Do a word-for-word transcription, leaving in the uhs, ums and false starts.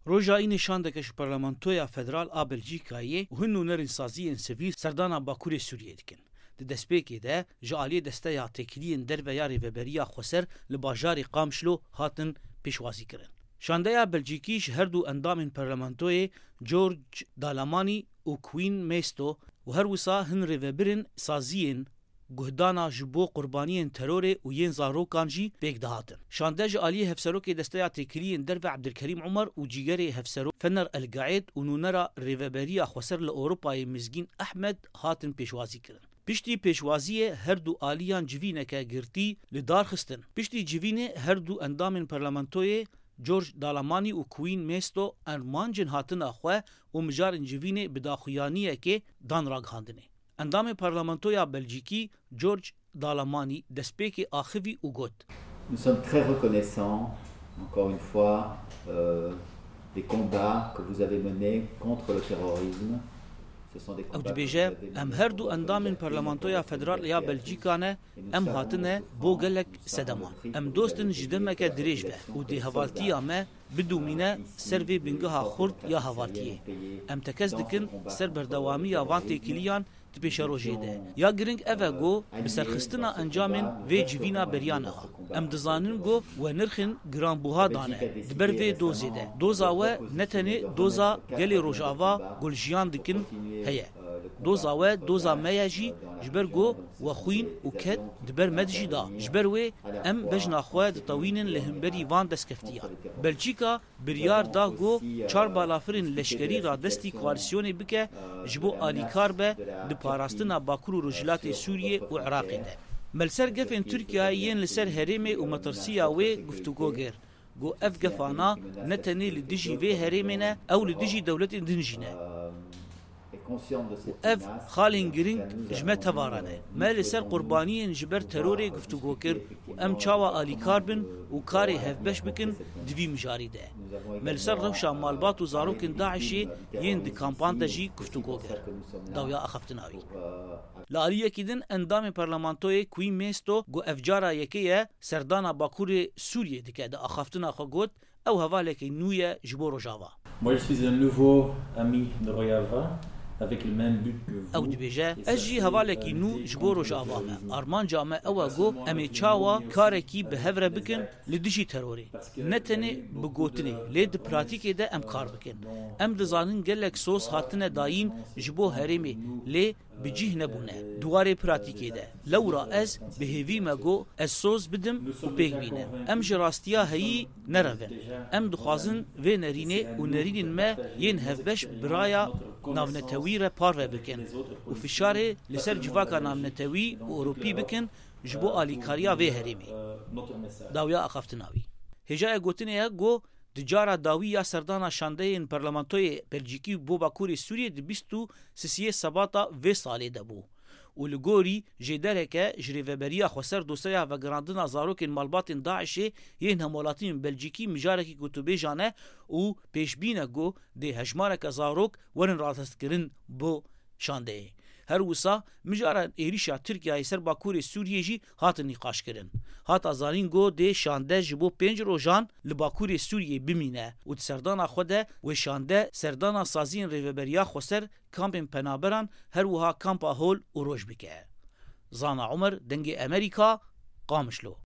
Roja Înê şandeke ji Parlamentoya Federal a Belcîkayê û hin nûnerên saziyên sivîl serdana Bakurê Sûriyê dikin. Di destpêkê de ji aliyê Desteya Têkiliyên Derve ya Rêveberiya Xweser li bajarê Qamişlo hatin pêşwazîkirin. Şandeya Belcîkî ji her du endamên parlamentoyê George Dalamanî û Queen Mesto û her wisa hin rêvebirên saziyên guhdana ji bo qurbaniyên terorê û yên zarokan jî pêk dihatin. Şande ji aliyê Hevserokê Desteya Têkiliyên Derve Ebdilkerîm Umar û cîgerê Hevserok Fener El Gaed û nûnera Rêveberiya Xweser li Ewropayê Mizgîn Ehmed hatin pêşwazî kirin. Piştî pêşwaziyê her du aliyan civîneke girtî li dar xistin. Piştî civînê her du endamên parlamentoyê George Dalamanî û Queen Mesto armancên hatina xwe û mijarên civînê bi daxuyaniyekê dan ragihandinê. Endamê Parlamentoya Belcîkî George Dalamanî destpêkê axivî û got: Nous sommes très reconnaissants, encore une fois, euh, des combats que vous avez menés contre le terrorisme. Ce sont des Ew combats que dibêje, vous avez menés Em her du endamên Parlamentoya Federal ya Belcîka ne, em hatine bo gelek sedeman. Em dost in ji demeke dirêj ve û dê hevaltiya me bidomîne ser vê bingeha xurt ya hevaltiyê. Em tekez dikin ser berdewamiya van têkiliyan di pêşerojê de. Ya giring ev e ku bi serxistina encamên vê civîna beriya niha. Em dizanin ku we nirxên giranbûha dane di ber vê dozê de. Doza we ne tenê doza gelê Rojava ku li jiyan dikin heye. Doza we doza me ye jî, ji ber ku we xwîn û ked di ber me dijî da. Ji ber wê em bejna xwe ditewînin li hemberî van destkeftiyan. Belçîka biryar da ku çar balafirên leşkerî radestî koalîsyonê bike, ji bo alîkar be di parastina Bakur û Rojhilatê Sûriyê û Iraqê de. Me li ser gefên Tirkiyeyê yên li ser herêmê û metirsiya wê guftûgo kir. Got, ev gefana ne tenê li dijî vê herêmê ne, ew li dijî dewletên din jî ne. Û ev xalên giring ji me teva re ne. Me li ser qurbaniyên ji ber terorê guftûgo kir û em çawa alîkar bin û karê hevbeş bikin di vî mijarî de. Me li ser rewşa malbat û zarokên DAIŞê yên di kampan de jî guftûgo kir. Dawiya axaftina wî. Li aliyekî din endamê parlamentoyê Queen Mesto got, ev cara yekê ye serdana Bakurê Sûriyê dike, di axaftina xwe got, ew hevalekî nû ye ji bo Rojava. Moi, je suis un nouveau ami de Rojava, avec le même but que vous. Ew dibêje, ez jî hevalekî nû ji bo Rojava me. Armanca me ew e ku em ê çawa karekî bi hev re bikin li dijî terorê. Ne tenê bi gotinê, lê di pratîkê de em kar bikin. Em dizanin gelek soz hatine dayîn ji bo herêmê, lê bi cih nebûne. Di warê pratîkê de, lewra ez bi hêvî me got ez soz bidim û pêk bînim. Em ji rastiya heyî nerevin. Em dixwazin vê nerînê û nerînên me yên hevbeş bi raya navnetewî re parve bikin û fişarê li ser civaka navnetewî û Ewropî bikin ji bo alîkariya vê herêmê. Dawiya axaftina wî. Hêjaya gotinê ye got, di cara dawî ya serdana şandeyên parlamentoyê Belcîkî bo Bakurê Sûriyê di bîst û sisiyê Sebata vê salê de bû û li gorî jêdereke ji Rêveberiya Xweser dosyeya vegerandina zarokên malbatên DAIŞê yên hemwelatiyên Belcîkî mijarekî gotûbêjan e û pêşbîn e ku dê hejmareke zarok werin radestkirin bo şandeyê. Her wisa mijaran êrîşa Tirkiyeyê ser Bakurê Sûriyê jî hatin nîqaşkirin. Hata zanîn ku dê şande ji bo pênc rojan li Bakurê Sûriyê bimîne û di serdana xwe de wê şande serdana saziyên Rêveberiya Xweser, kampên penaberan, her wiha kampa Hol û Roj bike. Zana Umer, Dengê Emerîka, Qamişlo.